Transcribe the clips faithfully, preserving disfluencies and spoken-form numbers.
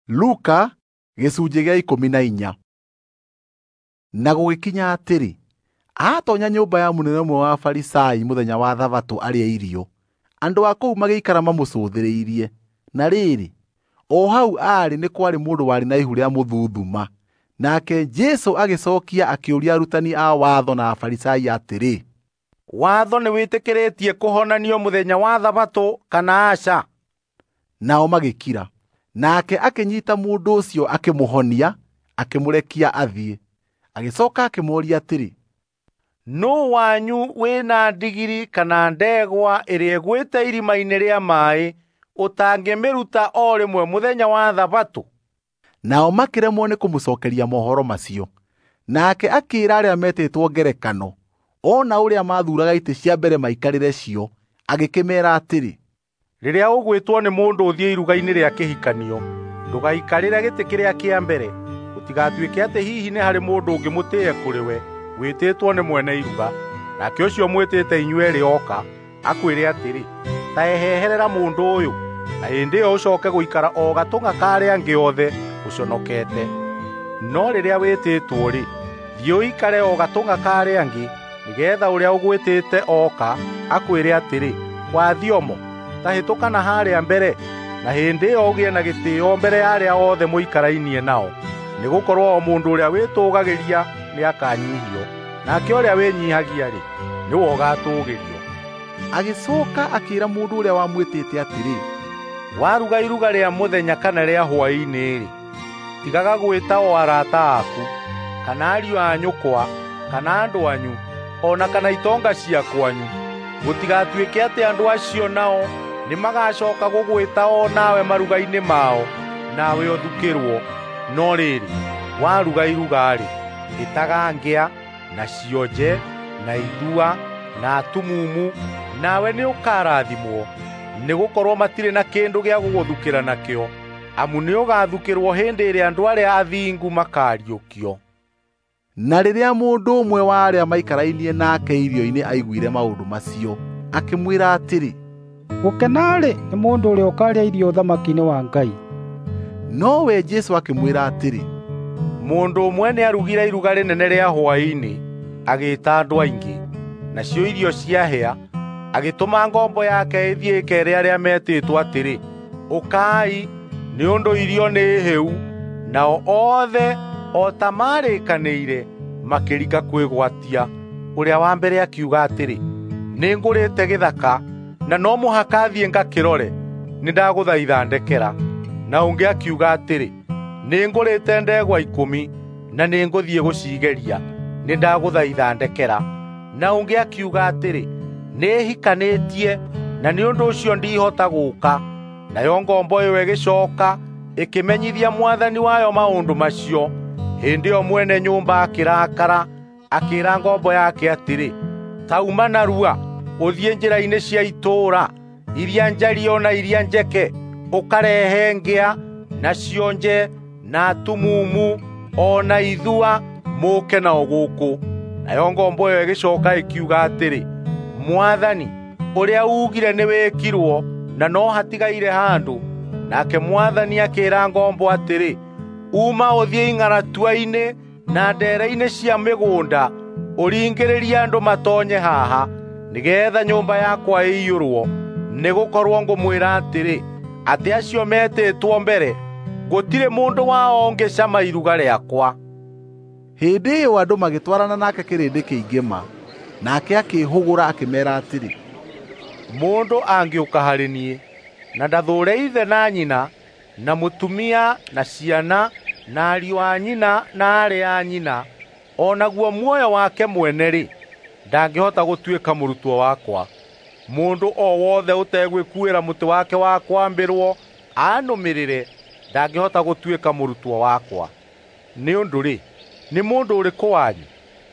Luka gĩcunjĩ gĩa ikũmi na inya. Na gũgĩkinya atĩrĩ, aatonya nyũmba ya mũnene ũmwe wa Afarisai mũthenya wa Thabatũ arĩe irio, andũ a kũu magĩikara mamũcũthĩrĩirie. Na rĩrĩ, o hau aarĩ nĩ kwarĩ mũndũ warĩ na ihu rĩa mũthuthuma. Nake Jesũ agĩcokia akĩũria arutani a watho na Afarisai atĩrĩ, Watho nĩwĩtĩkĩrĩtie kũhonanio mũthenya wa Thabatũ kana aca? Nao magĩkira. Nake akĩnyita mũndũ ũcio akĩmũhonia, akĩmũrekia athiĩ. Agĩcoka akĩmũũria atĩrĩ, Nũũ wanyu wĩna ndigiri kana ndegwa ĩrĩa ĩgwĩte irima-inĩ rĩa maaĩ ũtangĩmĩruta o rĩmwe mũthenya wa Thabatũ? Nao makĩremwo nĩ kũmũcokeria mohoro macio. Nake akĩĩra arĩa metĩtwo ngerekano, ona ũrĩa maathuuraga itĩ cia mbere maikarĩre cio, agĩkĩmeera atĩrĩ, Rĩrĩa ũgwĩtwo nĩ mũndũ ũthiĩ iruga-inĩ rĩa kĩhikanio, ndũgaikarĩre gĩtĩ kĩrĩa kĩa mbere, gũtigatuĩke atĩ hihi nĩ harĩ mũndũ ũngĩ mũtĩĩe kũrĩ we wĩtĩtwo nĩ mwene iruga, nake ũcio mwĩtĩte inyuerĩ oka akwĩre atĩrĩ, ta eheherera mũndũ ũyũ, na hĩndĩ ĩyo ũcoke gũikara o gatũng'a ka arĩa angĩ othe ũconokete. No rĩrĩa wĩtĩtwo-rĩ, thiĩ ũikare o gatũng'a ka arĩa angĩ, nĩgeetha ũrĩa ũgwĩtĩte oka akwĩre atĩrĩ, wathiomo, ta hĩtũka na harĩa mbere, na hĩndĩ ĩyo ũgĩe na gĩtĩĩo mbere ya arĩa othe mũikarainie nao. Nĩgũkorwo o mũndũ ũrĩa wĩtũũgagĩria nĩakanyihio, nake ũrĩa wĩnyiihagia-rĩ, nĩwe ũgaatũũgĩrio. Agĩcoka akĩĩra mũndũ ũrĩa wamwĩtĩte atĩrĩ, Waruga iruga rĩa mũthenya kana rĩa hwaĩ-inĩ-rĩ, tigaga gwĩta o arata aku, kana ariũ a nyũkwa, kana andũ anyu, o na kana itonga cia kwanyu, gũtigatuĩke atĩ andũ acio nao nĩmagacoka gũgwĩta o nawe maruga-inĩ mao, nawe ũthukĩrwo. No rĩrĩ, waruga iruga-rĩ, ĩtaga ngĩa, na cionje, na ithua, na atumumu, nawe nĩũkarathimwo, nĩgũkorwo matirĩ na kĩndũ gĩa gũgũthukĩra nakĩo, amu nĩũgathukĩrwo hĩndĩ ĩrĩa andũ arĩa athingu makariũkio. Na rĩrĩa mũndũ ũmwe wa arĩa maikarainie nake irio-inĩ aiguire maũndũ macio, akĩmwĩra atĩrĩ, Gũkena-rĩ, nĩ mũndũ ũrĩa ũkaarĩa irio ũthamaki-inĩ wa Ngai. Nowe Jesũ akĩmwĩra atĩrĩ, Mũndũ ũmwe nĩarugire iruga rĩnene rĩa hwaĩ-inĩ, agĩĩta andũ aingĩ. Nacio irio ciahĩa, agĩtũma ngombo yake ĩthiĩ ĩkeere arĩa metĩtwo atĩrĩ, ũkai, nĩ ũndũ irio nĩ hĩu. Nao othe o ta marĩkanĩire makĩrika kwĩgwatia. Ũrĩa wa mbere akiuga atĩrĩ, nĩngũrĩte gĩthaka na no mũhaka thiĩ ngakĩrore, nĩndagũthaitha ndekera. Na ũngĩ akiuga atĩrĩ, nĩngũrĩte ndegwa ikũmi na nĩngũthiĩ gũcigeria, nĩndagũthaitha ndekera. Na ũngĩ akiuga atĩrĩ, nĩhikanĩtie na nĩ ũndũ ũcio ndihota gũũka. Nayo ngombo ĩyo ĩgĩcoka ĩkĩmenyithia mwathani wayo maũndũ macio. Hĩndĩ ĩyo mwene nyũmba akĩrakara, akĩĩra ngombo yake atĩrĩ, ta uma narua ũthiĩ njĩra-inĩ cia itũũra iria njariĩ o na iria njeke, ũkarehe ngĩa na cionje na atumumu o na ithua, mũũke nao gũkũ. Nayo ngombo ĩyo ĩgĩcoka ĩkiuga atĩrĩ, Mwathani, ũrĩa uugire nĩwĩkirwo, na no hatigaire handũ. Nake mwathani akĩĩra ngombo atĩrĩ, uma ũthiĩ ing'aratua-inĩ na ndeere-inĩ cia mĩgũnda, ũringĩrĩrie andũ matonye haha, nĩgeetha nyũmba yakwa ĩiyũrwo. Nĩgũkorwo ngũmwĩra atĩrĩ, atĩ acio metĩtwo mbere, gũtirĩ mũndũ wao ũngĩcama iruga rĩakwa. Hĩndĩ ĩyo andũ magĩtwarana nake kĩrĩndĩ kĩingĩ ma. Nake akĩĩhũgũra akĩmeera atĩrĩ, Mũndũ angĩũka harĩ niĩ na ndathũũre ithe na nyina, na mũtumia na ciana, na ariũ a nyina na aarĩ a nyina, o naguo muoyo wake mwene-rĩ, ndangĩhota gũtuĩka mũrutwo wakwa. Mũndũ o wothe ũtegwĩkuĩra mũtĩ wake wa kwambĩrwo anũmĩrĩre, ndangĩhota gũtuĩka mũrutwo wakwa. Nĩ ũndũ-rĩ, nĩ mũndũ ũrĩkũ wanyu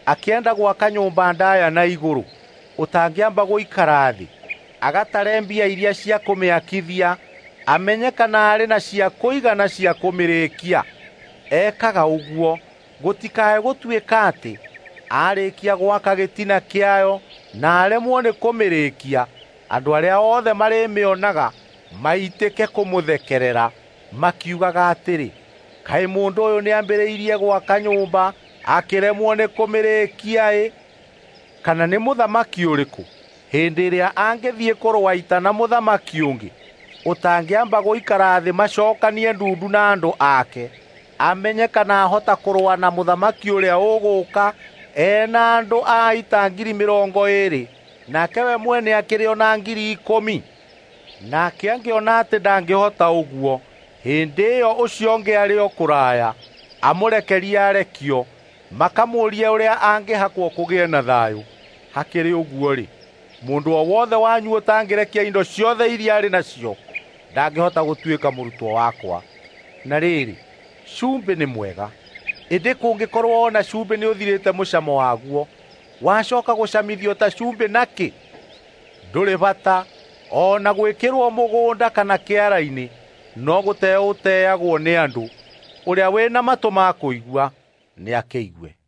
akĩenda gwaka nyũmba ndaya na igũrũ, ũtangĩamba gũikara thĩ agatare mbia iria cia kũmĩakithia, amenye kana arĩ na cia kũigana cia kũmĩrĩkia? Ekaga ũguo gũtikae gũtuĩka atĩ arĩkia gwaka gĩtina kĩayo na aremwo nĩ kũmĩrĩkia, andũ arĩa othe marĩmĩonaga maitĩke kũmũthekerera, Makiugaga atĩrĩ, kaĩ mũndũ ũyũ nĩambĩrĩirie gwaka nyũmba akĩremwo nĩ kũmĩrĩkia-ĩ? Kana nĩ mũthamaki ũrĩkũ hĩndĩ ĩrĩa angĩthiĩ kũrũa ita na mũthamaki ũngĩ ũtangĩamba gũikara thĩ macokanie ndundu na andũ ake, amenye kana ahota kũrũa na mũthamaki ũrĩa ũgũũka ena andũ a ita ngiri mĩrongo ĩĩrĩ, nake we mwene akĩrĩ o na ngiri ikũmi? Nake angĩona atĩ ndangĩhota ũguo, hĩndĩ ĩyo ũcio ũngĩ arĩ o kũraya, amũrekerie arekio, makamũũrie ũrĩa angĩhakwo kũgĩe na thayũ. Hakĩrĩ ũguo-rĩ, mũndũ o wothe wanyu ũtangĩrekia indo ciothe iria arĩ nacio ndangĩhota gũtuĩka mũrutwo wakwa. Na rĩrĩ, cumbĩ nĩ mwega, ĩndĩ kũngĩkorwo o na cumbĩ nĩũthirĩte mũcamo waguo, wacoka gũcamithio ta cumbĩ nakĩ? Ndũrĩ bata o na gwĩkĩrwo mũgũnda kana kĩara-inĩ, no gũteo ũteagwo nĩ andũ. Ũrĩa wĩna matũ ma kũigua nĩakĩigue.